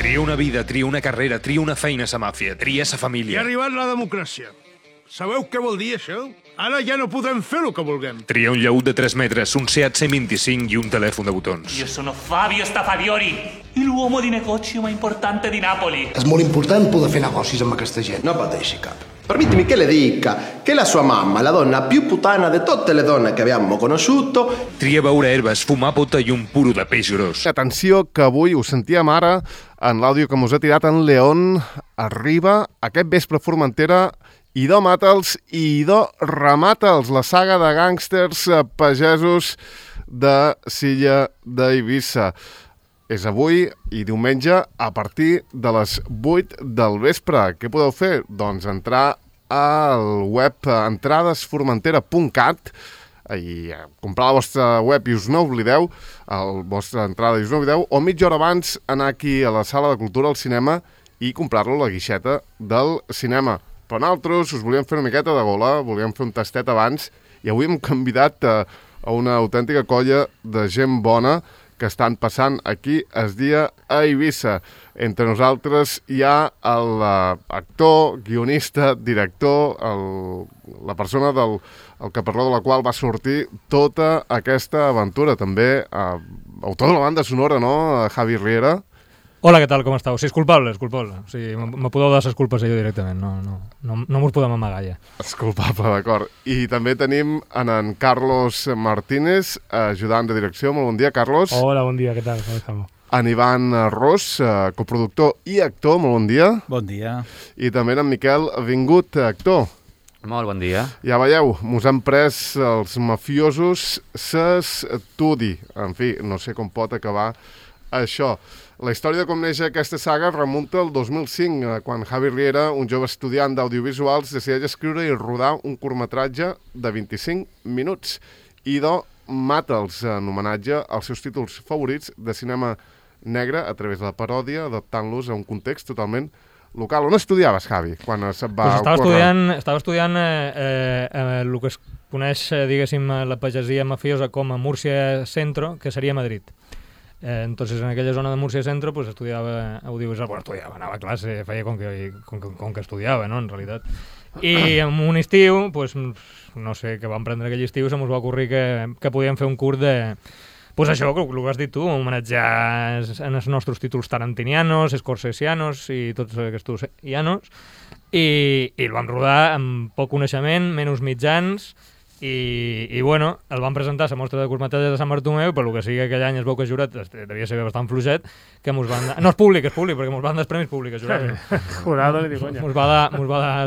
Tria una vida, tria una carrera, tria una feina a sa màfia, tria sa I ha família. arribat la democràcia. Sabeu què vol dir això? Ara ja no podem fer el que vulguem. Tria un llaüt de 3 metres, un Seat C25 i un telèfon de botons. Io sono Fabio Stafadiori, l'uomo di negozio più importante di Napoli. És molt important poder fer negocis amb aquesta gent. No pateixi cap. Permettimi che le dica che la sua mamma è la donna più puttana di tutte le donne che abbiamo conosciuto. Tria beure herbes, fumar pota i un puro de peix gros. Atenció, que avui ho sentíem ara en l'àudio que mos ha tirat en León. Arriba aquest vespre a Formentera Idò Mata'ls i Idò Remata'ls, la saga de gàngsters pagesos de Silla d'Eivissa. És avui i diumenge a partir de les 8 del vespre. Què podeu fer? Doncs entrar al web entradesformentera.cat i comprar la vostra web i us no oblideu, la vostra entrada i us no oblideu, o mitja hora abans anar aquí a la sala de cultura al cinema i comprar-lo a la guixeta del cinema. Però nosaltres us volíem fer una miqueta de gola, volíem fer un tastet abans i avui hem convidat a una autèntica colla de gent bona que estan passant aquí es dia a Eivissa. Entre nosaltres hi ha l'actor, guionista, director, la persona del caparró de la qual va sortir tota aquesta aventura. També autor de la banda sonora, no? Javi Riera. Hola, què tal, com esteu? Sí, és culpable. O sigui, me podeu dar les culpes a jo directament, no mos podem amagar ja. És culpable, d'acord. I també tenim en Carlos Martínez, ajudant de direcció. Molt bon dia, Carlos. Hola, bon dia, què tal? Com estamos? En Ivan Ros, coproductor i actor, molt bon dia. Bon dia. I també en Miquel Vingut, actor. Molt bon dia. Ja veieu, mos han pres els mafiosos s'estudi. En fi, no sé com pot acabar això. La història de com neix aquesta saga remunta al 2005, quan Javi Riera, un jove estudiant d'audiovisuals, decideix escriure i rodar un curtmetratge de 25 minuts. Idò Mata'ls, en homenatge als seus títols favorits de cinema negre a través de la paròdia, adaptant-los a un context totalment local. On estudiaves, Javi, quan se't va ocórrer? Estava estudiant el que es coneix, diguéssim, la pagesia mafiosa com a Múrcia Centro, que seria Madrid. Entonces en aquella zona de Múrcia Centro pues estudiava audiovisual, anava a classe, feia com que estudiava, no?, en realitat. I en un estiu, pues, no sé què vam prendre aquell estiu, se mos va ocórrer que podíem fer un curt de... Pues això, el que has dit tu, homenatjar en els nostres títols tarantinianos, scorsesianos i tots aquests ianos, i el vam rodar amb poc coneixement, menys mitjans, i bueno, el van presentar a la mostra de curtmetratges de Sant Bartomeu i per lo que sigui aquell any es veu que el jurat devia ser bastant fluixet, que mos van dar... No, és públic, perquè mos van dar els premis públics, jurat. Jurado, ni conya. Mos va dar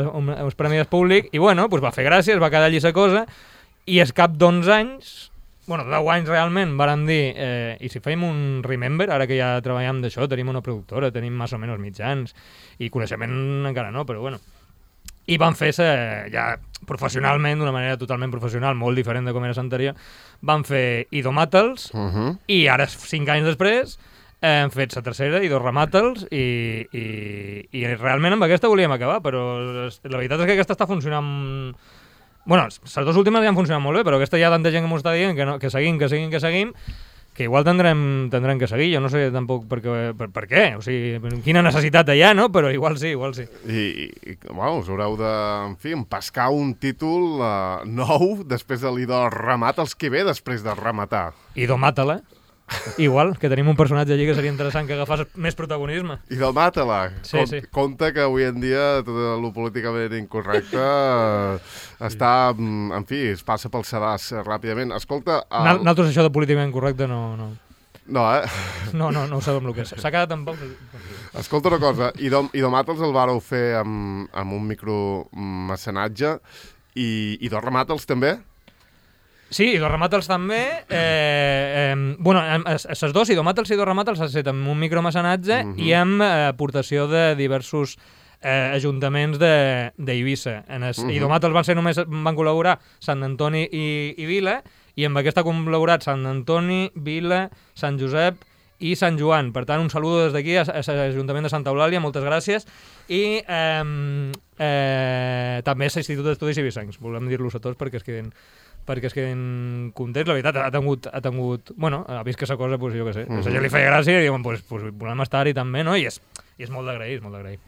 uns premis públics i bueno, pues va fer gràcia, es va quedar allí la cosa i al cap d'11 anys, bueno, 10 anys realment, vàrem dir, i si fèiem un Remember, ara que ja treballem d'això, tenim una productora, tenim més o menys mitjans i coneixement encara no, però bueno. I van fer-se ja professionalment, d'una manera totalment professional, molt diferent de com era l'anterior, van fer Idò Mata'ls, i ara, 5 anys després, hem fet la tercera, Idò Remata'ls, i realment amb aquesta volíem acabar, però la veritat és que aquesta està funcionant... Bueno, les dues últimes ja han funcionat molt bé, però aquesta ja tanta gent que m'ho està dient que seguim, que igual tindrem que seguir, jo no sé tampoc per què, o sigui, quina necessitat hi ha, no? Però igual sí. I bueno, us haureu de, en fi, empescar un títol nou després de l'Idò Remata'ls, que ve després de rematar. Idò Mata'la, igual, que tenim un personatge allí que seria interessant que agafés més protagonisme. Idò Mata'la. Sí. Compte que avui en dia tot el políticament incorrecte està, en fi, es passa pel sedàs ràpidament. Escolta... Nosaltres això de políticament correcte no... No, eh? No ho sabem el que és. S'ha quedat en poc... Escolta una cosa, Idò Mata'ls el vàreu fer amb un micromecenatge i Idò Remata'ls també? Sí, Idò Remata'ls també. Bueno, les dos, Idò Mata'ls i Idò Remata'ls s'ha fet amb un micromecenatge i amb aportació de diversos ajuntaments d'Eivissa. Idò Mata'ls van col·laborar Sant Antoni i Vila, i amb aquesta ha col·laborat Sant Antoni, Vila, Sant Josep i Sant Joan. Per tant, un saludo des d'aquí a l'Ajuntament de Santa Eulàlia, moltes gràcies. I també a l'Institut d'Estudis Eivissencs. Volem dir-los a tots perquè es quedin perquè és que en context, la veritat, ha tingut bueno, ha vist que esa cosa, pues, jo què sé, a ella li feia gràcia i diuen, pues volem estar-hi també, no? I és molt d'agrair, és molt d'agrair.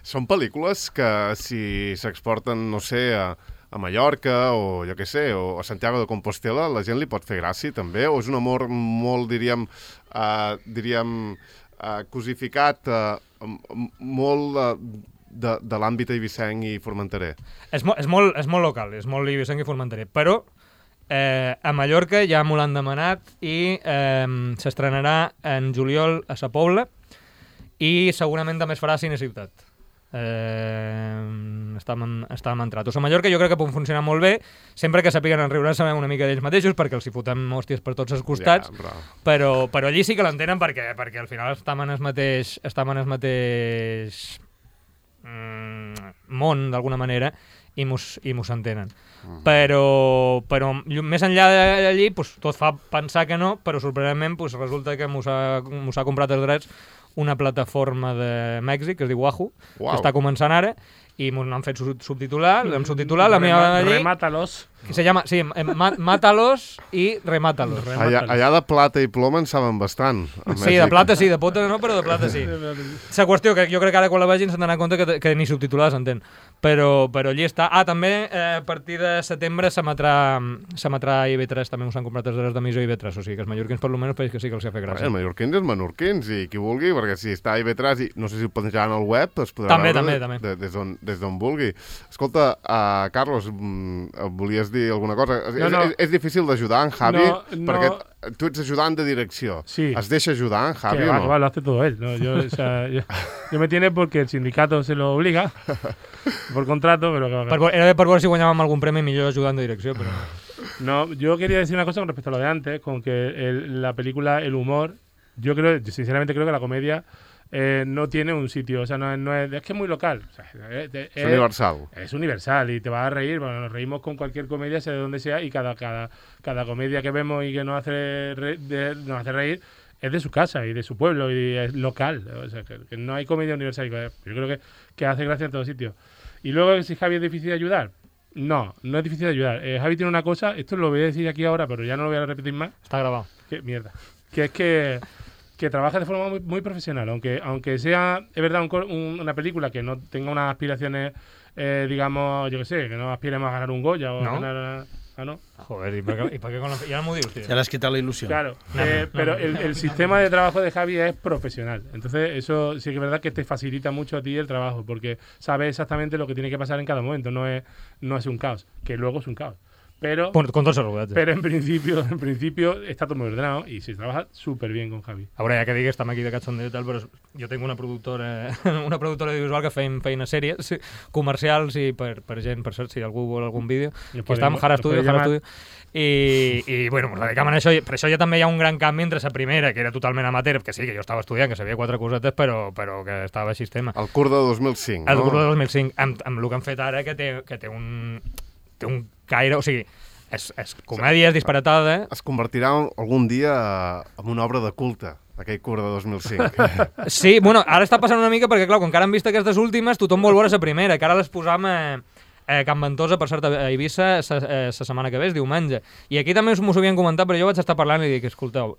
Són pel·lícules que si s'exporten, no sé, a Mallorca o jo què sé, o a Santiago de Compostela, la gent li pot fer gràcia també, o és un amor molt, diríem, cosificat, molt de l'àmbit eivissenc i formenterer? És molt local, és molt eivissenc i formenterer, però a Mallorca ja m'ho l'han demanat i s'estrenarà en juliol a Sa Pobla i segurament també es farà a Cine Ciutat. Estàvem entrat. A Mallorca jo crec que pot funcionar molt bé, sempre que sapiguen enriure sabem una mica d'ells mateixos, perquè els hi fotem hòsties per tots els costats, però allí sí que l'entenen perquè al final estem en el mateix món, d'alguna manera, i mos entenen. Però més enllà d'allí, tot fa pensar que no, però sorprenentment resulta que mos ha comprat els drets una plataforma de Mèxic que es diu Wahoo, que està començant ara, i m'ho han fet subtitular, l'hem subtitulat, la meva allí... Remátalos. Que se llama, sí, Mátalos i Remátalos. Allà de plata i ploma en saben bastant. Sí, de plata sí, de pota no, però de plata sí. La qüestió que jo crec que ara quan la vegin s'han d'anar compte que ni subtitulada s'entén. Però allí està. També a partir de setembre s'emetrà a IB3, també us han comprat els drets d'emissió a IB3, o sigui que els mallorquins per almenys pareix que sí que els ha fet gràcia. Els mallorquins és menorquins, i qui vulgui, perquè si està a IB3, i no sé si ho penjaran al web, es podrà veure des d'on vulgui. Escolta, Carlos, volies dir alguna cosa? És difícil d'ajudar en Javi, perquè tu ets ajudant de direcció. Sí. ¿Es deja ayudar en Javi o no? Lo hace todo él. ¿No? Yo me tiene porque el sindicato se lo obliga por contrato, pero... Era per veure si guanyàvem algun premi millor ajudant de direcció, però... No, yo quería decir una cosa con respecto a lo de antes, con que la película, el humor, yo sinceramente creo que la comedia no tiene un sitio, o sea, es que es muy local. O sea, es universal. Es universal y te vas a reír, bueno, nos reímos con cualquier comedia, sea de donde sea, y cada comedia que vemos y que nos hace reír es de su casa y de su pueblo y es local. O sea, que no hay comedia universal. Yo creo que hace gracia en todos sitios. Y luego, si Javi es difícil de ayudar, no es difícil de ayudar. Javi tiene una cosa, esto lo voy a decir aquí ahora, pero ya no lo voy a repetir más. Está grabado. Qué mierda. Que es que trabaja de forma muy, muy profesional, aunque sea, es verdad, una película que no tenga unas aspiraciones, digamos, yo qué sé, que no aspiremos a ganar un Goya o a ganar... ¿no? Joder, ¿y para qué con la... Ya no me digo, tío. Se le has quitado la ilusión. Claro, pero el sistema de trabajo de Javi es profesional. Entonces, eso sí que es verdad que te facilita mucho a ti el trabajo, porque sabes exactamente lo que tiene que pasar en cada momento. No es un caos, que luego es un caos. Pero, con tots els rogats. Pero en principio está todo muy ordenado y se trabaja súper bien con Javi. A veure, ja que digui, estem aquí de cachondeo i tal, però jo tinc una productora audiovisual que feim sèries comercials i per gent, per cert, si algú vol algun vídeo, que està amb Jara Studio, i bueno, ens dedicam a això, per això ja també hi ha un gran canvi entre la primera, que era totalment amateur, que sí, que jo estava estudiant, que sabia 4 cosetes, però que estava així tema. El curs de 2005, El curs de 2005, amb el que han fet ara, que té un caire, o sigui, és comèdia, és disparatada. Es convertirà algun dia en una obra de culte, aquell curs de 2005. Sí, bueno, ara està passant una mica perquè, clar, com que ara han vist aquestes últimes, tothom vol veure la primera, que ara les posam a Can Ventosa, per cert, a Eivissa, la setmana que ve, diumenge. I aquí també m'ho havien comentat, però jo vaig estar parlant i dic, escolteu,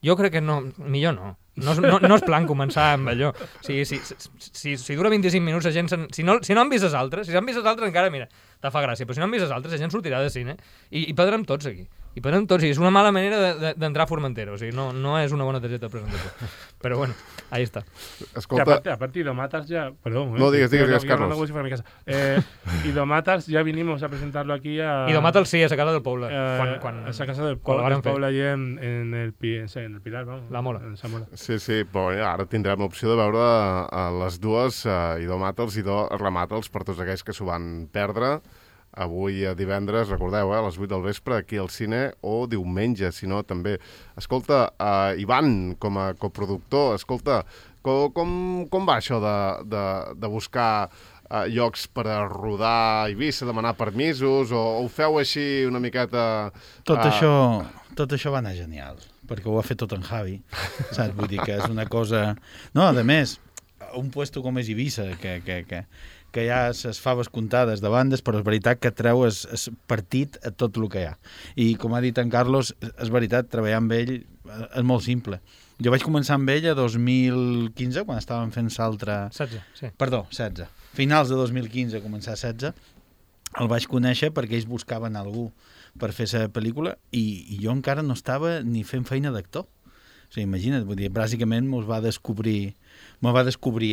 jo crec que no, millor no. No és plan començar amb allò. Si dura 25 minuts, la gent... Si no han vist les altres, si s'han vist les altres encara, mira, te fa gràcia, però si no han vist les altres, la gent sortirà de cine i perdrem tots aquí. I perdrem tots, i és una mala manera d'entrar a Formentera, o sigui, no és una bona targeta de presentació. Però bueno, ahí está. Escolta... Aparte, Idomatas ya... Perdón. No, digues, Carlos. No, si fuera mi casa. Idomatas ya vinimos a presentarlo aquí a... Idomatas sí, a esa casa del Poble. A esa casa del Poble allí en el Pilar, vamos. La Mola. En Samola. Sí, però ara tindrem l'opció de veure les dues, Idomatals i Rematals, per tots aquells que s'ho van perdre. Avui divendres, recordeu, a les 8 del vespre, aquí al cine, o diumenge, si no, també. Escolta, Ivan, com a coproductor, escolta, com va això de buscar llocs per a rodar a Eivissa, demanar permisos, o ho feu així una miqueta... Tot això va anar genial, perquè ho ha fet tot en Javi, saps? Vull dir que és una cosa... No, a més, un puesto com és Eivissa, que hi ha les faves comptades de bandes, però és veritat que treu el partit a tot el que hi ha. I com ha dit en Carlos, és veritat, treballar amb ell és molt simple. Jo vaig començar amb ell a 2015, quan estàvem fent l'altre... 16, sí. Perdó, 16. Finals de 2015, començar 16. El vaig conèixer perquè ells buscaven algú per fer la pel·lícula i jo encara no estava ni fent feina d'actor. O sigui, imagina't, vull dir, bàsicament me va descobrir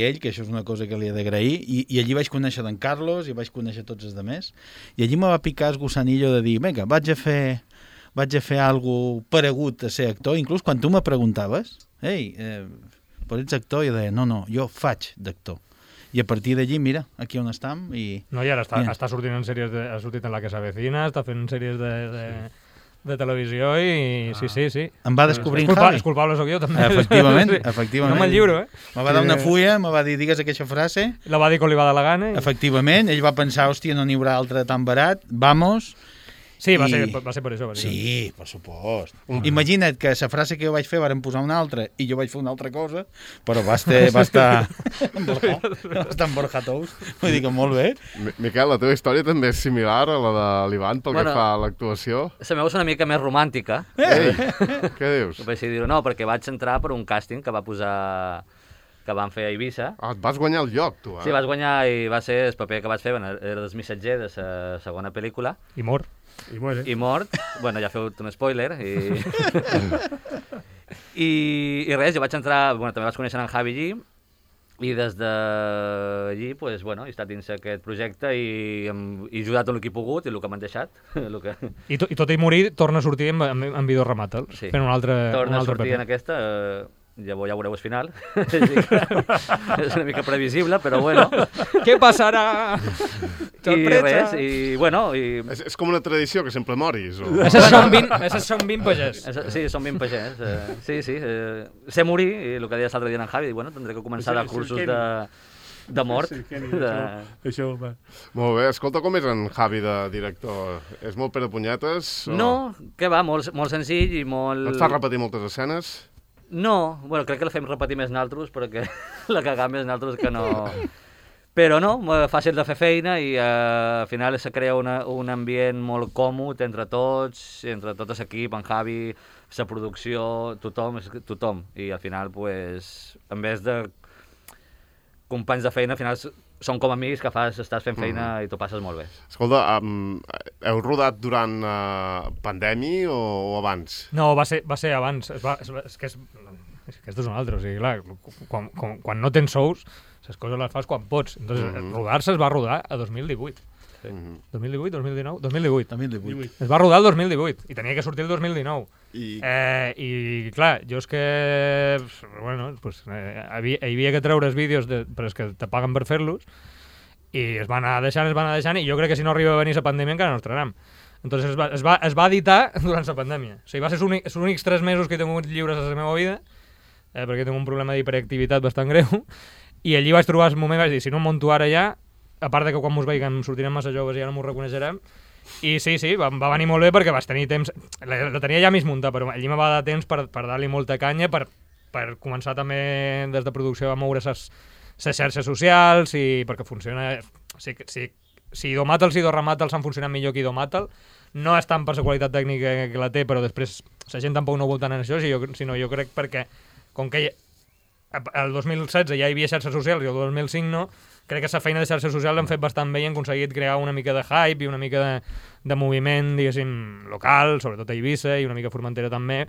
ell, que això és una cosa que li he d'agrair, i allí vaig conèixer d'en Carlos i vaig conèixer tots els altres, i allí me va picar el gussanillo de dir, vinga, vaig a fer algo paregut a ser actor, inclús quan tu me preguntaves, ei, però ets actor? I jo deia, no, jo faig d'actor. I a partir d'allí, mira, aquí on estem. No, i ara està sortint en sèries, ha sortit en La que s'avecina, està fent sèries de televisió i sí. Em va descobrir en Javi. És culpable sóc jo, també. Efectivament. No me'l lliuro, Me va dar una fulla, me va dir, digues aquesta frase. La va dir quan li va dar la gana. Efectivament, ell va pensar, hòstia, no n'hi haurà altre tan barat, vamos. Sí, va ser per això. Sí, per supost. Imagina't que la frase que jo vaig fer varen posar una altra i jo vaig fer una altra cosa, però va estar en Borja Tous. Vull dir que molt bé. Miquel, la teva història també és similar a la de l'Ivan pel que fa a l'actuació? La meva és una mica més romàntica. Ei, què dius? Vaig dir-ho, no, perquè vaig entrar per un càsting que va posar... que van fer a Eivissa. Ah, et vas guanyar el lloc, tu, eh? Sí, vas guanyar i va ser el paper que vaig fer, era el missatger de la segona pel·lícula. I mort. I mort. Bueno, ja feu un spoiler. I res, jo vaig entrar... Bueno, també vaig conèixer en Javi allí, i des d'allí, pues, bueno, he estat dins aquest projecte i he ajudat el que he pogut i el que m'han deixat. I tot i morir, torna a sortir en Vidor Rematal, fent un altre paper. Torna a sortir en aquesta... Ja veureu el final. És una mica previsible, però bueno. Què passarà? I res, i bueno... És com una tradició, que sempre moris. Esses són 20 pagès. Sí, són 20 pagès. Sí. Sé morir, i el que deies l'altre dia en Javi, bueno, tindré que començar a cursos de mort. Això va. Molt bé, escolta, com és en Javi de director? És molt Pere Punyetes? No, què va, molt senzill i molt... No et fa repetir moltes escenes? No, bueno, crec que la fem repetir més naltros perquè la cagam més naltros que no... Però no, fàcil de fer feina i al final se crea un ambient molt còmode entre tots, entre tot l'equip, en Javi, la producció, tothom. I al final, pues, en vez de companys de feina, al final són com amics que estàs fent feina i t'ho passes molt bé. Escolta, heu rodat durant pandèmia o abans? No, va ser abans. És que és una altra. O sigui, clar, quan no tens sous, les coses les fas quan pots. Entonces, rodar-se es va rodar a 2018. Sí. 2018, 2019? 2018. Es va rodar el 2018 i tenia que sortir el 2019. I clar, jo és que... Bueno, pues, hi havia que treure els vídeos, però és que te paguen per fer-los, i es van anar deixant, i jo crec que si no arriba a venir la pandèmia encara no estrenam. Entonces es va editar durant la pandèmia. O sigui, va ser els únics 3 mesos que he tingut lliures a la meva vida, perquè tinc un problema d'hiperactivitat bastant greu, i allí vaig trobar el moment i vaig dir, si no em monto ara ja, a part de que quan mos veiem sortirem massa joves i ja no m'ho reconeixerem, i sí, va venir molt bé perquè vaig tenir temps, la tenia ja mig muntada, però allí me va dar temps per dar-li molta canya, per començar també des de producció a moure les xarxes socials, i perquè funciona, si Idomatals i Idorramatals han funcionat millor que Idomatal, no és tant per la qualitat tècnica que la té, però després la gent tampoc no ho vol tant en això, sinó jo crec perquè, com que el 2016 ja hi havia xarxes socials i el 2005 no, crec que la feina de xarxes socials l'han fet bastant bé i han aconseguit crear una mica de hype i una mica de moviment, diguéssim, local, sobretot a Eivissa i una mica a Formentera també,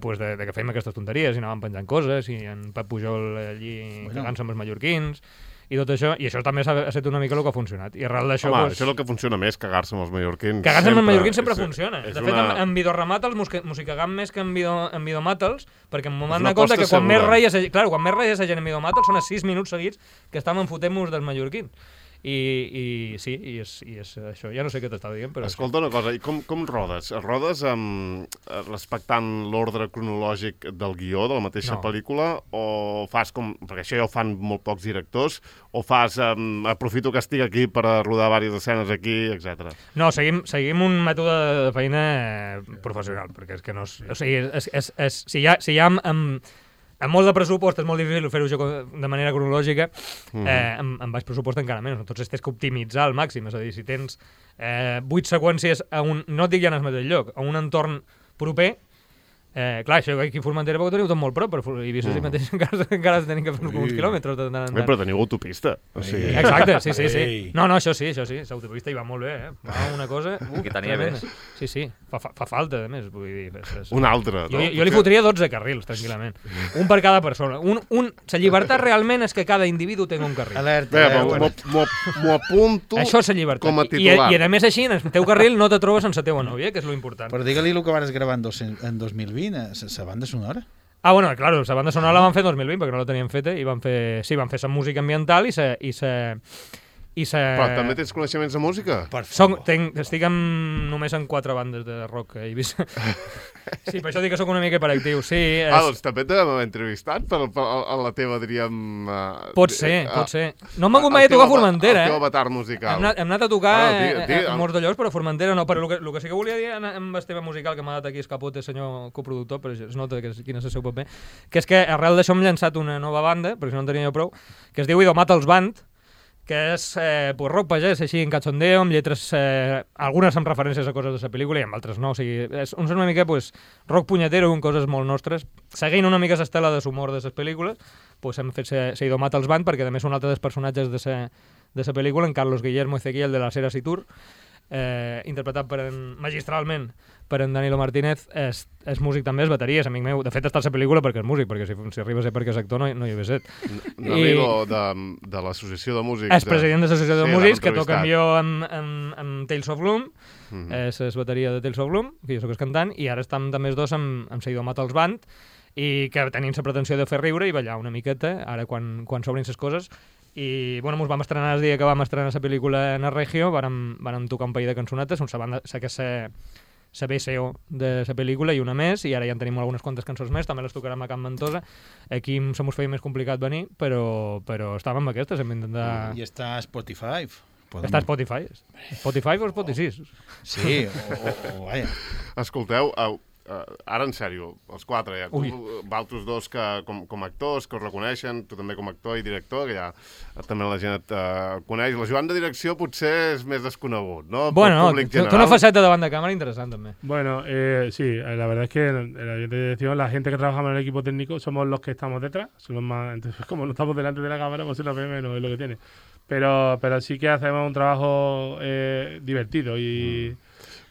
pues de que fèiem aquestes tonteries i anàvem penjant coses i en Pep Pujol allí cagant-se amb els mallorquins i tot això, i això també ha estat una mica el que ha funcionat. I arrel d'això... Home, això és el que funciona més, cagar-se amb els mallorquins. Cagar-se amb els mallorquins sempre funciona. De fet, en Vidorramatals mos hi cagam més que en Vidomatals, perquè m'ho m'han donat compte que quan més reies la gent en Vidomatals són a 6 minuts seguits que estàvem fotent-nos dels mallorquins. I sí, i és això. Ja no sé què t'estava dient, però... Escolta una cosa, i com rodes? Rodes respectant l'ordre cronològic del guió de la mateixa pel·lícula, o fas com... Perquè això ja ho fan molt pocs directors, o fas aprofito que estic aquí per rodar diverses escenes aquí, etc. No, seguim un mètode de feina professional, perquè és que no és... O sigui, si hi ha amb molt de pressupost és molt difícil fer-ho això de manera cronològica, amb baix pressupost encara menys. Entonces tens que optimitzar al màxim, és a dir, si tens 8 seqüències no et dic ja en el mateix lloc, a un entorn proper, clar, això aquí a Formentera ho teniu tot molt prop, però Eivissa sí mateix encara tenim que fer uns quilòmetres. Però teniu autopista. Exacte, sí. No, això sí, l'autopista hi va molt bé, va una cosa... Que tenia més. Sí, fa falta, a més, vull dir... Un altre, no? Jo li fotria 12 carrils, tranquil·lament. Un per cada persona. La llibertat realment és que cada individu tingui un carril. Alerta. M'ho apunto això és la llibertat. com a titular. I a més així, en el teu carril no te trobes sense la teva nòvia, que és lo important. Però digue-li el que vas gravar en 2020, la banda sonora. Bueno, claro, la banda sonora la van fer en 2020 perquè no la teníem feta i van fer la música ambiental Però també tens coneixements de música? Estic només en 4 bandes de rock a Eivissa. Sí, per això dic que sóc una mica hiperactiu. Sí, doncs també t'hem entrevistat a la teva, diríem... Pot ser. No m'ha hagut mai a tocar a Formentera, El teu avatar musical. Hem anat a tocar a molts de llocs, però a Formentera no. Però el que sí que volia dir amb el tema musical que m'ha dat aquí Escapote, senyor coproductor, però es nota quin és el seu paper, que és que arrel d'això hem llançat una nova banda, perquè si no en tenia jo prou, que es diu Idomatals Band, que és rock pagès, així en cachondeo, amb lletres, algunes amb referències a coses de la pel·lícula i amb altres no. O sigui, és una mica rock punyetero amb coses molt nostres. Seguint una mica l'estela de l'humor de les pel·lícules, hem fet Idomatals Band, perquè a més un altre dels personatges de la pel·lícula, en Carlos Guillermo Ezequiel de la Sera Situr, interpretat magistralment per en Danilo Martínez, és músic també, és bateria, és amic meu. De fet, està a la pel·lícula perquè és músic, perquè si arriba a ser perquè és actor no hi hauria set. Danilo, de l'Associació de Músics. És president de l'Associació de Músics, que toca amb jo amb Tales of Gloom, és bateria de Tales of Gloom, que jo soc el cantant, i ara estem també els dos amb Idomatals Band, i que tenim la pretensió de fer riure i ballar una miqueta, ara quan s'obrin les coses. I bueno, ens vam estrenar el dia que vam estrenar la pel·lícula en el Regio, vam tocar un parell de cançonetes, que és la BCO de la pel·lícula i una més, i ara ja en tenim algunes quantes cançons més, també les tocarem a Can Ventosa. Aquí se mos feia més complicat venir, però estàvem amb aquestes, hem d'intentar... I està a Spotify. Està a Spotify. Spotify o Spotify? Sí, o vaja. Escolteu, ara en sèrio, els 4, ja, vosaltres dos com actors, que us reconeixen, tu també com a actor i director, que ja també la gent et coneix. La Joan de direcció potser és més desconegut, ¿no? Bueno, té una faceta davant de càmera interessant també. Bueno, sí, la verdad es que en la dirección, la gente que trabajamos en el equipo técnico somos los que estamos detrás, son los más, entonces como no estamos delante de la cámara, pues se nos ve menos, es lo que tiene. Pero sí que hacemos un trabajo divertido y...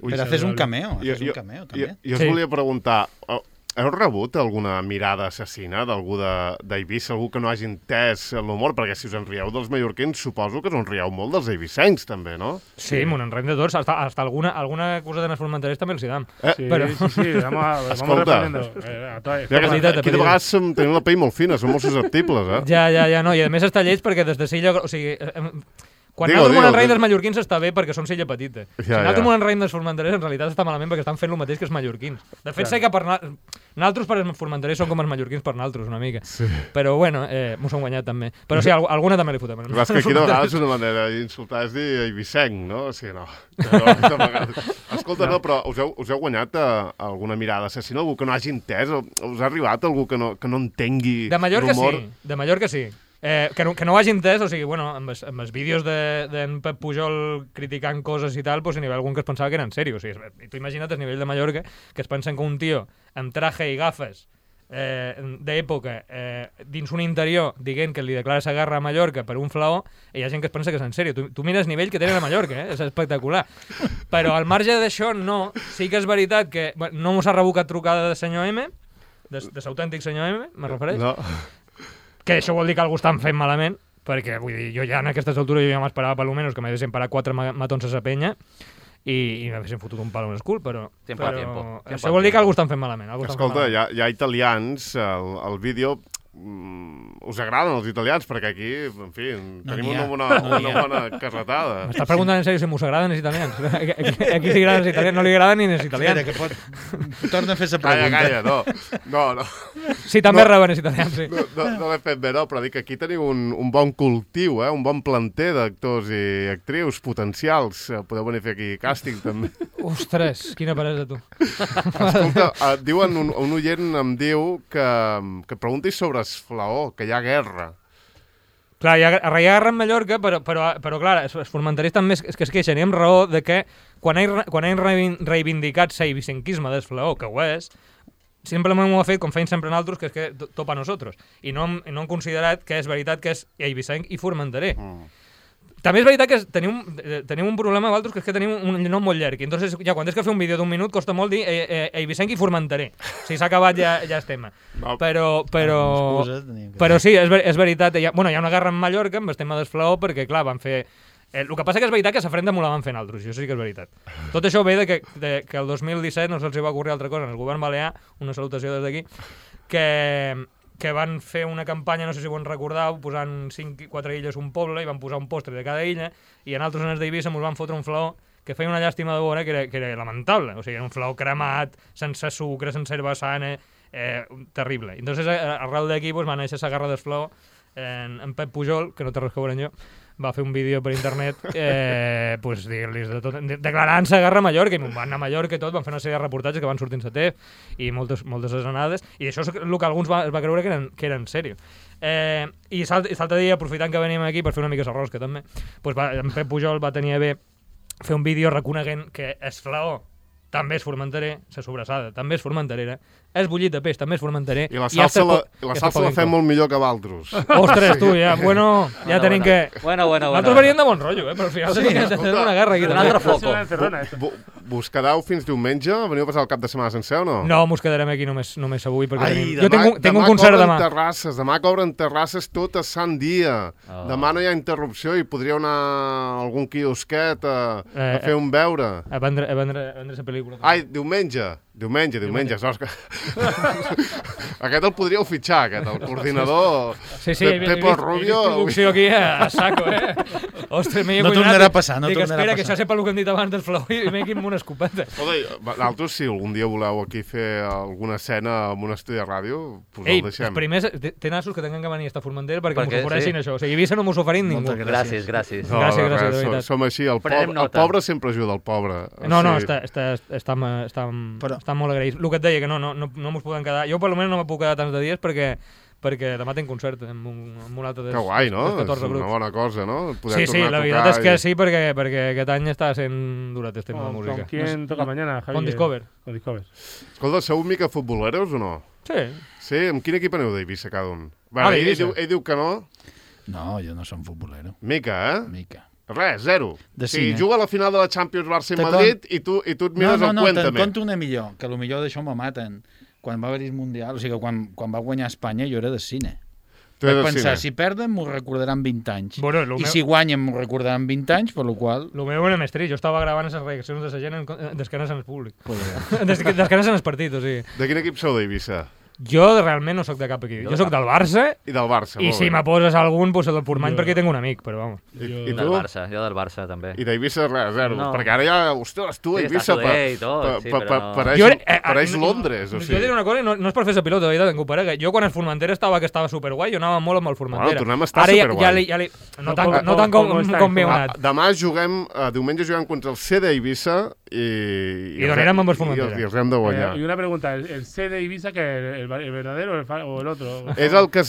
Però haces un cameo, també. Jo us volia preguntar, heu rebut alguna mirada assassina d'algú d'Eivissa, algú que no hagi entès l'humor? Perquè si us en rieu dels mallorquins, suposo que us en rieu molt dels eivissencs, també, no? Sí, m'ho en riem de tots, hasta alguna cosa de les formenteres també els hi dam. Sí, vamos reprendiendo. Aquí de vegades tenim la pell molt fina, som molt susceptibles, Ja, no, i a més està lleig perquè des de Silla, o sigui... Quan nosaltres m'ho enraïm dels mallorquins està bé perquè són Silla petita. Si nosaltres m'ho enraïm dels formenterers, en realitat està malament perquè estan fent el mateix que els mallorquins. De fet, sé que nosaltres per els formenterers són com els mallorquins per nosaltres, una mica. Però, bueno, m'ho som guanyat també. Però sí, alguna també li fotem. És que aquí de vegades una manera d'insultar és dir eivissenc, no? O sigui, no. Escolta, no, però us heu guanyat alguna mirada assassina? Algú que no hagi entès? Us ha arribat algú que no entengui l'humor? De Mallorca sí. Que no ho hagi entès, o sigui, bueno, amb els vídeos d'en Pep Pujol criticant coses i tal, pues, n'hi havia algun que es pensava que era en sèrio. O sigui, tu imagina't el nivell de Mallorca, que es pensen que un tio amb traje i gafes d'època dins un interior dient que li declara la guerra a Mallorca per un flaó, i hi ha gent que es pensa que és en sèrio. Tu mires el nivell que tenen a Mallorca, és espectacular. Però al marge d'això, no. Sí que és veritat que no mos ha revocat trucada de senyor M, de l'autèntic senyor M, me refereix? No. Que això vol dir que algú estan fent malament, perquè vull dir, jo ja en aquestes altures ja m'esperava per almenys que m'haguessin parat 4 matons a sa penya i m'haguessin fotut un palo en el cul, però això vol dir que algú estan fent malament. Escolta, hi ha italians, el vídeo us agraden els italians, perquè aquí, en fi, tenim una bona carretada. M'està preguntant en sèrio si m'us agraden els italians. Aquí li agraden els italians, no li agraden ni els italians. Espera, que pot... Torna a fer la pregunta. Calla, no. Sí, també reben els italians, sí. No l'he fet bé, no, però dic que aquí teniu un bon cultiu, un bon planter d'actors i actrius potencials. Podeu venir a fer aquí càsting, també. Ostres, quina peresa, tu. Escolta, diuen, un oient em diu que preguntis sobre Esflaó, que hi ha guerra. Clar, hi ha guerra en Mallorca, però clar, els formenterers també és que es queixen, i amb raó de que quan han reivindicat l'eivicenquisme d'Esflaó, que ho és, simplement ho ha fet com feien sempre nosaltres, que és que topa a nosaltres. I no han considerat que és veritat que és eivicenc i formenterer. També és veritat que tenim un problema vosaltres, que és que tenim un nom molt llarg. I entonces, ja, quan tens que fer un vídeo d'un minut, costa molt dir eivicenc i formenterer. Si s'ha acabat ja és tema. No. Però sí, és veritat. Hi ha una guerra en Mallorca amb el tema d'Esflaó, perquè, clar, van fer... El que passa que és veritat que s'afrenta molt la van fer altres, això sí que és veritat. Tot això ve que el 2017 no se'ls va ocórrer altra cosa en el govern balear, una salutació des d'aquí, que van fer una campanya, no sé si ho en recordeu, posant 4 illes un poble i van posar un postre de cada illa, i en altres zones d'Eivissa ens van fotre un flaó que feia una llàstima de veure, que era lamentable. O sigui, era un flaó cremat, sense sucre, sense herba sana, terrible. Entonces, arrel d'aquí va néixer la guerra d'Esflaó. En Pep Pujol, que no té res que veure amb jo, va fer un vídeo per internet dir-los de tot, declarant-se guerra a Mallorca, i van anar a Mallorca i tot, van fer una sèrie de reportatges que van sortir en TEF i moltes anades, i això és el que alguns es va creure que era en sèrio. I l'altre dia, aprofitant que venim aquí per fer una mica de rosca també, en Pep Pujol va tenir a bé fer un vídeo reconeguent que Esflaó també és formenterer, la sobrassada també és formenterera, el bullit de peix també és formenterer. I la salsa la fem molt millor que Valtros. Ostres, tu, ja tenim que... Nosaltres veníem de bon rotllo, però al final tenim que fer una guerra aquí. Un altre foco. Vos quedeu fins diumenge? Veniu a passar el cap de setmana sencer o no? No, mos quedarem aquí només avui, perquè jo tinc un concert demà. Demà cobren terrasses tot a Sant Dia. Demà no hi ha interrupció i podríeu anar a algun quiosquet a fer un beure. A vendre la pel·lícula. Ai, diumenge, Òscar. Aquest el podríeu fitxar, el coordinador. Sí, Pepo Rubio. Producció aquí a saco, Ostres, no tornarà a passar, Dic, espera, que això sepa el que hem dit abans del Flow i m'he aquí amb una escopeta. Nosaltres, si algun dia voleu aquí fer alguna escena amb un estudi de ràdio, pues el deixem. Els primers, té nassos que tinguin que venir a esta Formentera perquè m'ho ofereixin això. O sigui, Eivissa no m'ho oferint ningú. Gràcies. No, gràcies, de veritat. Som així, el pobre sempre ajuda el pobre. No, està molt agraït. El que et deia, que no mos podem quedar... Jo, per almenys, no me puc quedar tants de dies perquè demà tinc concert amb un altre dels 14 grups. Que guai, no? És una bona cosa, no? Sí, la veritat és que sí, perquè aquest any està sent durat el tema de música. ¿Con quién toca mañana, Javier? Con Discover. Escolta, sou mica futboleros o no? Sí. Sí? Amb quin equip aneu d'Eivissa cada un? Ell diu que no. No, jo no som futbolero. Mica, Mica. Res, zero. Si juga a la final de la Champions Barça i Madrid i tu et mires el Cuéntame. Te'n conto una millor, que potser d'això me maten. Quan va haver-hi el Mundial, o sigui, quan va guanyar Espanya, jo era de cine. Vaig pensar, si perden, m'ho recordaran 20 anys. I si guanyen, m'ho recordaran 20 anys, per la qual... El meu era més trist. Jo estava gravant les reaccions de la gent d'esquenes en el públic. D'esquenes en el partit, o sigui. De quin equip sou d'Eivissa? Jo realment no sóc de cap equip. Jo sóc del Barça. I del Barça, i si me poses algun, doncs el del Portmany, perquè tinc un amic, però vamos. I tu? Jo del Barça, també. I d'Eivissa res, zero. Perquè ara ja, ostres, tu, Eivissa, pareix Londres. Jo diré una cosa, no és per fer la pilota, de veritat, en Coparega. Jo quan el Formentera estava superguai, jo anava molt amb el Formentera. Bueno, tornem a estar superguai. No tant com bé anat. Demà diumenge juguem contra el C d'Eivissa i donarem amb el Formentera. I els hem de guanyar. Y una pregunta, ¿el C de Eivissa que el verdadero o el otro? És el que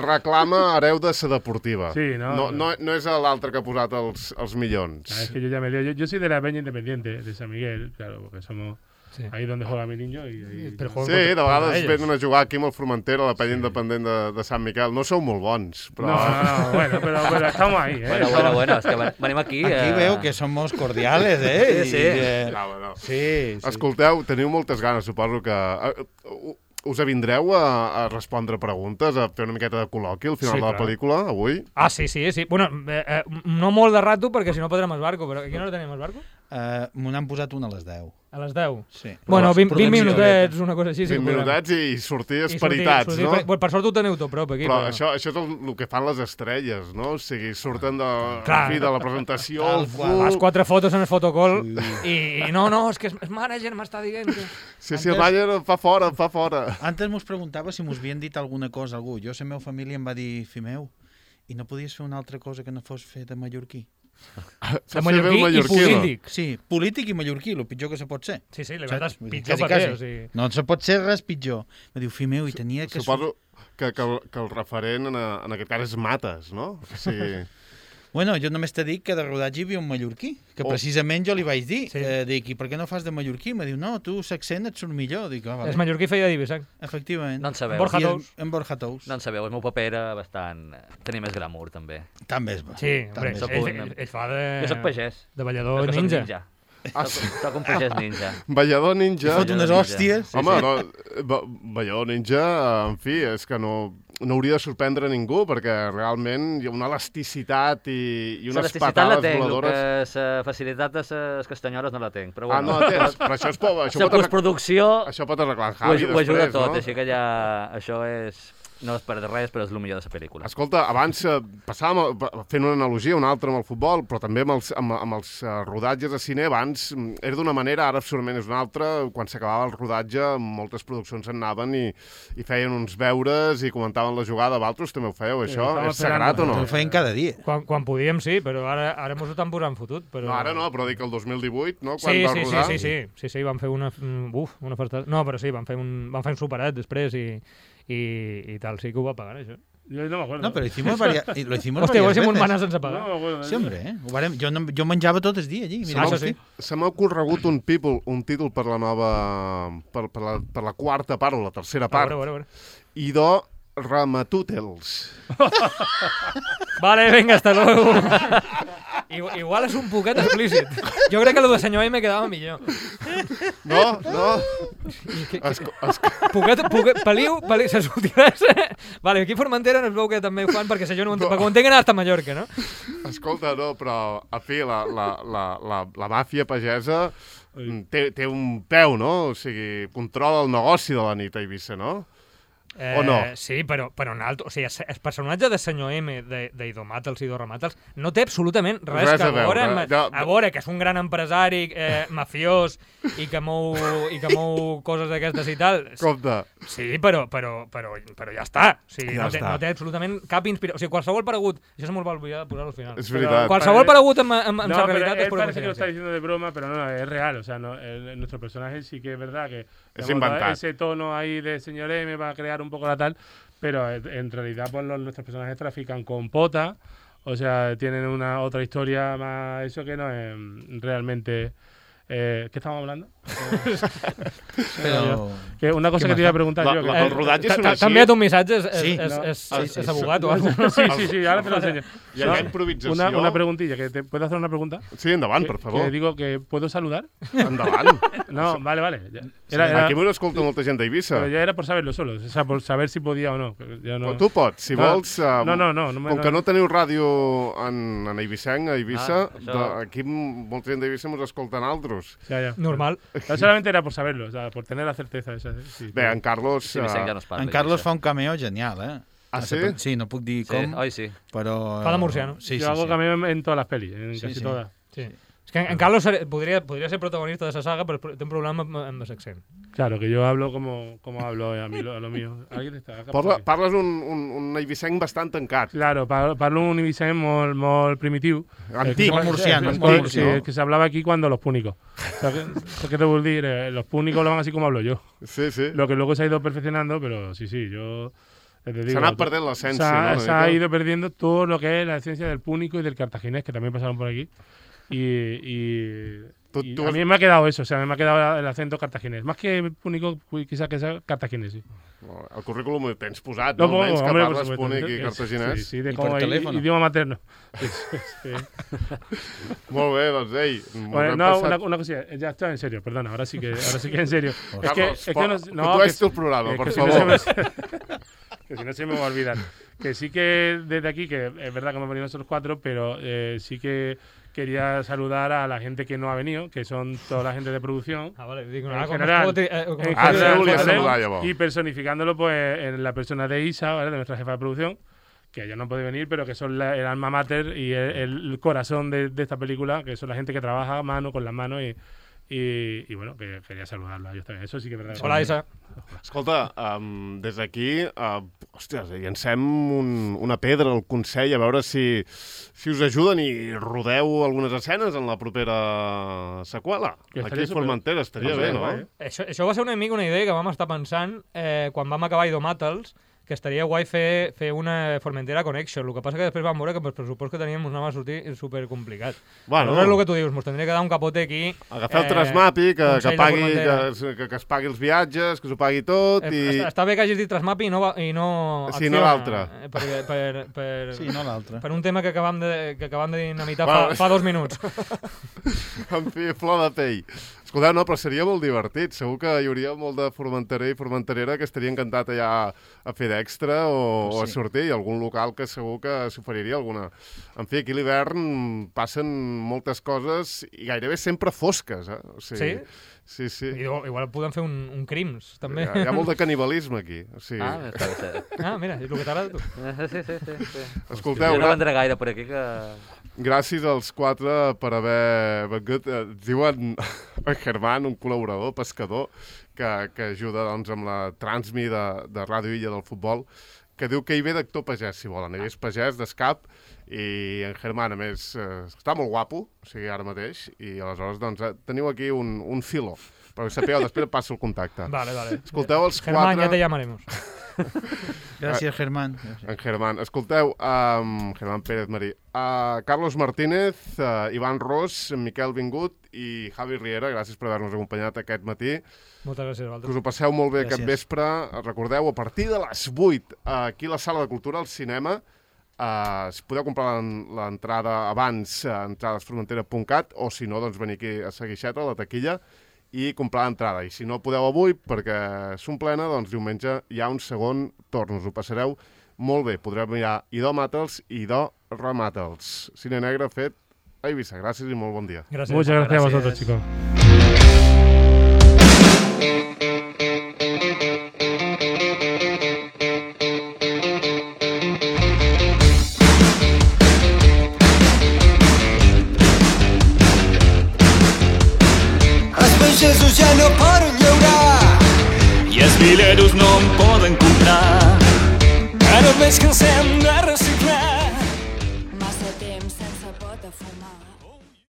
reclama hereu de la deportiva. Sí, no és l'altre que ha posat els milions. Es que yo ya me lío. Yo soy de la Peña Independiente, de San Miguel, claro, porque somos... Sí. Ahí donde juega mi niño de vegades venen a jugar aquí amb el Formentera, la penya independent de Sant Miquel. No sou molt bons, però... No, bueno, pero estamos ahí, Bueno, es que venim aquí... Aquí veo que somos cordiales, Sí. Escolteu, teniu moltes ganes, suposo que... Us avindreu a respondre preguntes, a fer una miqueta de col·loqui al final de la pel·lícula, avui? Ah, sí. Bueno, no molt de rato, perquè si no podrem el barco, però a quina hora tenim el barco? Me n'han posat una a les 10. A les 10? Sí. Bueno, 20 Producció. minutets, una cosa així. 20 minutets i sortir esperitats, no? Per sort ho teniu tot prop, aquí. Però això és el que fan les estrelles, no? O sigui, surten de la presentació, el Fas 4 fotos en el fotocall i no, és que el manager m'està dient que... Sí, el manager fa fora. Antes mos preguntava si mos havien dit alguna cosa algú. Jo, la meva família em va dir, fill meu, i no podies fer una altra cosa que no fos fer de mallorquí? De mallorquí i polític. Sí, polític i mallorquí, el pitjor que se pot ser. Sí, la veritat és pitjor paper. O sigui... No se pot ser res pitjor. Me diu, fill meu, i tenia que... Suposo que el referent en aquest cas és Mates, no? O sigui... Bueno, jo només t'he dit que de rodatge hi havia un mallorquí, que precisament jo li vaig dir. Dic, i per què no fas de mallorquí? Me diu, no, tu l'accent et surt millor. Dic, vale. És mallorquí feia d'Eivissa. Efectivament. No en sabeu. En Borja Tous. No en sabeu, el meu paper era bastant... Tenia més glamour, també. També és bo. Sí, hombre, ell fa de... Jo soc pagès. De ballador ninja. Soc un pagès ninja. Ballador ninja. Fot unes hòsties. Home, ballador ninja, en fi, és que no hauria de sorprendre ningú, perquè realment hi ha una elasticitat i unes patades voladores. La facilitat de les castanyores no la tenc. Però bueno, no la tens, però això és por. La postproducció això pot arreglar Javi ho ajuda després, tot, no? així que ja això és... No és per res, però és el millor de la pel·lícula. Escolta, abans passàvem fent una analogia, una altra amb el futbol, però també amb els rodatges de cine. Abans era d'una manera, ara segurament és una altra. Quan s'acabava el rodatge, moltes produccions en anaven i feien uns veures i comentaven la jugada. Vosaltres també ho fèieu, això? És sagrat o no? Ho feien cada dia. Quan podíem, sí, però ara mos ho estan posant fotut. Però... No, ara no, però dic el 2018, no? Quan va rodar. Sí, van fer una farta... No, però sí, van fer un superet després i tal, sí que ho va pagar, això. Yo no me acuerdo. No, pero lo hicimos varias Hòstia, ho hacíem un manar sense pagar. Sí, hombre, jo menjava tot el dia allí. Se m'ha ocorregut un títol per la nova... per la quarta part o la tercera part. Idò Ramatútels. Vale, venga, hasta luego. Igual és un poquet explícit. Jo crec que el de senyor M quedava millor. No. Peliu, se sortiràs. Vale, aquí a Formentera no es veu que també ho fan perquè jo no ho entenc. Perquè ho entenc anar hasta Mallorca, no? Escolta, no, però, a fi, la màfia pagesa té un peu, no? O sigui, controla el negoci de la nit a Eivissa, no? O no? Sí, però en alto. O sigui, el personatge de senyor M, d'Idò Matels i Idò Matels, no té absolutament res que veure. A veure, que és un gran empresari mafiós i que mou coses d'aquestes i tal. Compte. Sí, però ja està. O sigui, no té absolutament cap inspiració. O sigui, qualsevol paregut... Això se m'ho va oblidar de posar al final. És veritat. Qualsevol paregut amb la realitat es por parece que lo está diciendo de broma, pero no, es real. O sea, nuestro personaje sí que es verdad que... Es inventado. Ese tono ahí de señor M va a crear un poco la tal, pero en realidad pues nuestros personajes trafican con pota, o sea, tienen una otra historia más, eso que no es realmente... ¿Qué estamos hablando? Que una cosa que te iba a preguntar yo. El rodatge és una així. T'ha enviat un missatge, és abogat o algo. Sí, ahora te lo enseño. Hi ha improvisació. Una preguntilla, ¿puedo hacer una pregunta? Sí, endavant, per favor. Que digo que ¿puedo saludar? Endavant. No, vale. Aquí m'ho escolta molta gent d'Eivissa. Pero ya era por saberlo solo, o sea, por saber si podía o no. Tu pots, si vols. No. Com que no teniu ràdio en Eivissenc, a Eivissa, aquí molta gent d'Eivissa mos escolten altres. Ya. Normal. No, solamente era por saberlo, o sea, por tener la certeza esa. Sí, Bé, en Carlos... Sí, en Carlos fa un cameo genial, eh? Ah, sí? Sí, no puc dir com, sí. Però... Fa de murciano. Yo hago cameo en todas las pelis, en casi todas. Sí. Es que en Carlos podría ser protagonista de esa saga, pero tiene un problema amb l'accent. Claro, que yo hablo como hablo a lo mío. ¿Alguien está? Parles un eivissenc bastant tancat. Claro, parlo un eivissenc molt primitiu. Antic. Murciano. Sí, que se hablaba aquí cuando los púnicos. ¿Qué te voy a decir? Los púnicos hablan así como hablo yo. Sí. Lo que luego se ha ido perfeccionando, pero sí, yo... Se ha anat perdent l'essència, no? Se ha ido perdiendo todo lo que es la esencia del púnico y del cartaginés, que también pasaron por aquí. Y a mí me ha quedado eso, o sea, me ha quedado el acento cartaginés. Más que púnico, quizás que sea cartaginés, sí. El currículum ho tens posat, no? Almenys que parles púnic i cartaginès. Sí, de com idioma materno. Sí. Molt bé, doncs, ei. Bueno, una cosilla, ya está en serio, perdona, ahora sí que en serio. Carlos, es que no, tú tu el programa, por favor. Que si no se me va a olvidar. Que sí que desde aquí, que es verdad que hemos venido nosotros 4, pero sí que quería saludar a la gente que no ha venido, que son toda la gente de producción. Vale, digo, en nada, general, saludar, y personificándolo pues en la persona de Isa, ¿vale? De nuestra jefa de producción, que ella no puede venir, pero que son el alma mater y el corazón de esta película, que son la gente que trabaja mano con las manos y bueno, que quería saludarla a ellos también. Eso sí que es verdad. Hola, Isa. Escolta, des d'aquí, hòsties, llancem una pedra al Consell a veure si us ajuden i rodeu algunes escenes en la propera seqüela. Aquí a Formentera estaria bé, no? Això va ser una mica una idea que vam estar pensant quan vam acabar Idomàtals, que estaria guai fer una Formentera Connection. El que passa que després vam veure que el pressupost que teníem ens anava a sortir supercomplicat. Bueno, és el que tu dius, ens tindria que dar un capote aquí. Agafeu el Trasmapi, que es pagui els viatges, que s'ho pagui tot. Està bé que hagis dit Trasmapi i no sí, no l'altre. Sí, no l'altre. Per un tema que acabam de dinamitar fa 2 minuts. En fi, flor de pell. Escolteu, no, però seria molt divertit. Segur que hi hauria molt de formenterer i formenterera que estaria encantat allà a fer d'extra o a sortir, i algun local que segur que s'oferiria alguna. En fi, aquí a l'hivern passen moltes coses i gairebé sempre fosques, O sigui, sí? Sí. Igual podem fer un crims, també. Hi ha molt de canibalisme aquí. O sigui... Mira, és el que t'agrada a tu. Sí. Escolteu, jo no vendré gaire per aquí que... Gràcies als 4 per haver vengut. Diuen en Germán, un col·laborador, pescador, que ajuda doncs, amb la transmi de Ràdio Illa del futbol, que diu que hi ve d'actor pagès, si volen. Ell és pagès d'escap, i en Germán, a més, està molt guapo, o sigui, ara mateix, i aleshores doncs, teniu aquí un filo. Però sapigueu, després passo el contacte. Vale. Escolteu els 4... Germán, ja te llamaremos. Gràcies, Germán. En Germán. Escolteu, Germán Pérez Marí, Carlos Martínez, Ivan Ros, Miquel Vingut i Javi Riera, gràcies per haver-nos acompanyat aquest matí. Moltes gràcies a vosaltres. Que us ho passeu molt bé aquest vespre. Recordeu, a partir de les 8, aquí a la Sala de Cultura, al cinema, si podeu comprar l'entrada abans a entradesformentera.cat, o si no, doncs venir aquí a Seguixeta, a la taquilla, i comprar l'entrada. I si no podeu avui, perquè s'omplena, doncs diumenge hi ha un segon torn. Us ho passareu molt bé. Podreu mirar Idomàtals i Idomàtals. Cine negre fet a Eivissa. Gràcies i molt bon dia. Gràcies. Muchas gracias a vosotros, chicos. pagesos ja no poden llaurar i els vileros no en poden comprar. Ara veig que ens hem de reciclar. Massa temps sense pot a fumar.